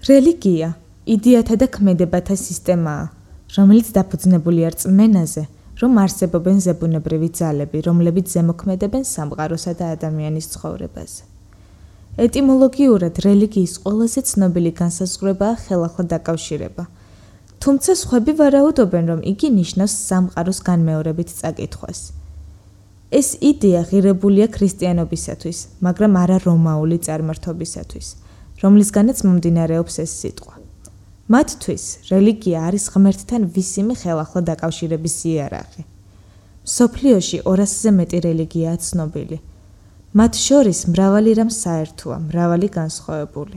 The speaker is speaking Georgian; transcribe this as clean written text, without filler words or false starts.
რელიგია იდეათა და ქმედებათა სისტემაა, რომელიც დაფუძნებულია რწმენაზე, რომ არსებობენ ზებუნებრივი ძალები, რომლებიც ზემოქმედებენ სამყაროსა და ადამიანის ცხოვრებაზე. ეტიმოლოგიურად რელიგიის ყველაზე ცნობილი განსაზღვრებაა ხელახლა დაკავშირება, თუმცა სხვები ვარაუდობენ, რომ იგი ნიშნავს სამყაროს განმეორებით წაკითხვას. ეს იდეა ღირებულია ქრისტიანობისათვის, მაგრამ არა რომაული წარმართობისათვის, რომლისგანაც მომდინარეობს ეს სიტყვა. მათთვის რელიგია არის ღმერთთან ვისიმე ხელახლა დაკავშირების იარაღი. მსოფლიოში 200-ზე მეტი რელიგიაა ცნობილი. მათ შორის მრავალი რამ საერთოა, მრავალი განსხვავებული.